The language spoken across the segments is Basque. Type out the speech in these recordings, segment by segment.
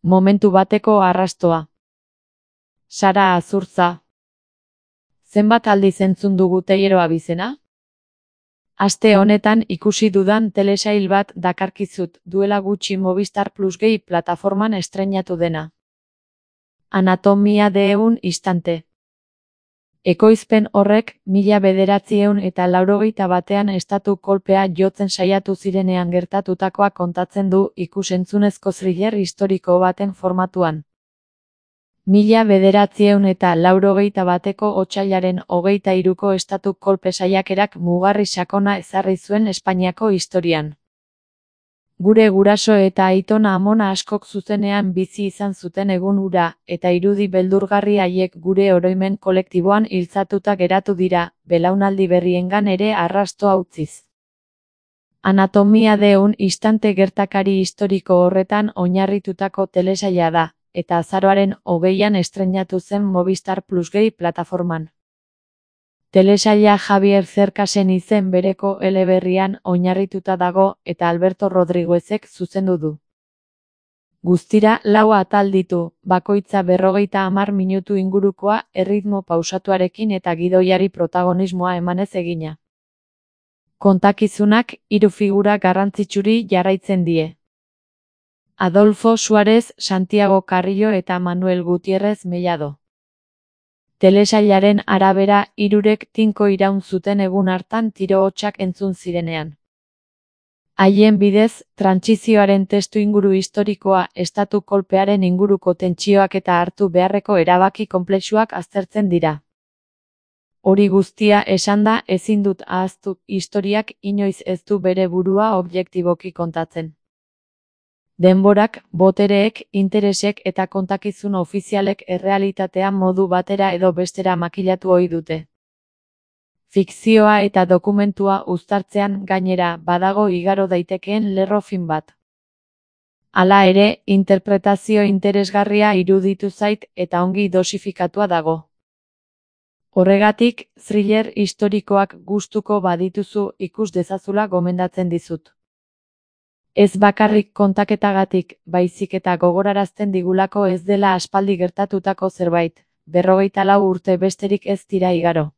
Momentu bateko arrastoa. Sara Azurtza. Zenbat aldiz entzun dugu Teiero abizena? Aste honetan ikusi dudan telesail bat dakarkizut, duela gutxi Movistar Plus Gay plataforman estreinatu dena. Anatomia de un instante. Ekoizpen horrek 1981 estatu kolpea jotzen saiatu zirenean gertatutakoa kontatzen du ikus-entzunezko thriller historiko baten formatuan. 1981ko otsailaren 23ko estatu kolpe saiakerak mugarri sakona ezarri zuen Espainiako historian. Gure guraso eta aitona-amona askok zuzenean bizi izan zuten egun hura, eta irudi beldurgarri haiek gure oroimen kolektiboan iltzatuta geratu dira, belaunaldi berriengan ere arrastoa utziz. Anatomia de un instante gertakari historiko horretan oinarritutako telesaila da, eta azaroaren 20an estreinatu zen Movistar Plus Gay plataforman. Telesaila Javier Cercasen izen bereko eleberrian oinarrituta dago eta Alberto Rodriguezek zuzendu du. Guztira 4 atal ditu, bakoitza 50 minutu ingurukoa erritmo pausatuarekin eta gidoiari protagonismoa emanez egina. Kontakizunak 3 figura garrantzitsuri jarraitzen die. Adolfo Suárez, Santiago Carrillo eta Manuel Gutiérrez Mellado. Telesailaren arabera, hirurek tinko iraun zuten egun hartan tiro hotsak entzun zirenean. Haien bidez, trantsizioaren testuinguru historikoa, estatu kolpearen inguruko tentsioak eta hartu beharreko erabaki konplexuak aztertzen dira. Hori guztia esanda ezin dut ahaztu, historiak inoiz ez du bere burua objektiboki kontatzen. Denborak, botereek, interesek eta kontakizun ofizialek errealitatea modu batera edo bestera makilatu ohi dute. Fikzioa eta dokumentua uztartzean gainera badago igaro daitekeen lerro fin bat. Hala ere, interpretazio interesgarria iruditu zait eta ongi dosifikatua dago. Horregatik, thriller historikoak gustuko badituzu ikus dezazula gomendatzen dizut. Ez bakarrik kontaketagatik, baizik eta gogorarazten digulako ez dela aspaldi gertatutako zerbait, 54 urte besterik ez dira igaro.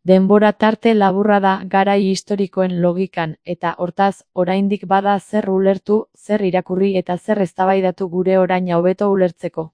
Denbora tarte laburra da garai historikoen logikan, eta hortaz, oraindik bada zer ulertu, zer irakurri eta zer eztabaidatu gure oraina hobeto ulertzeko.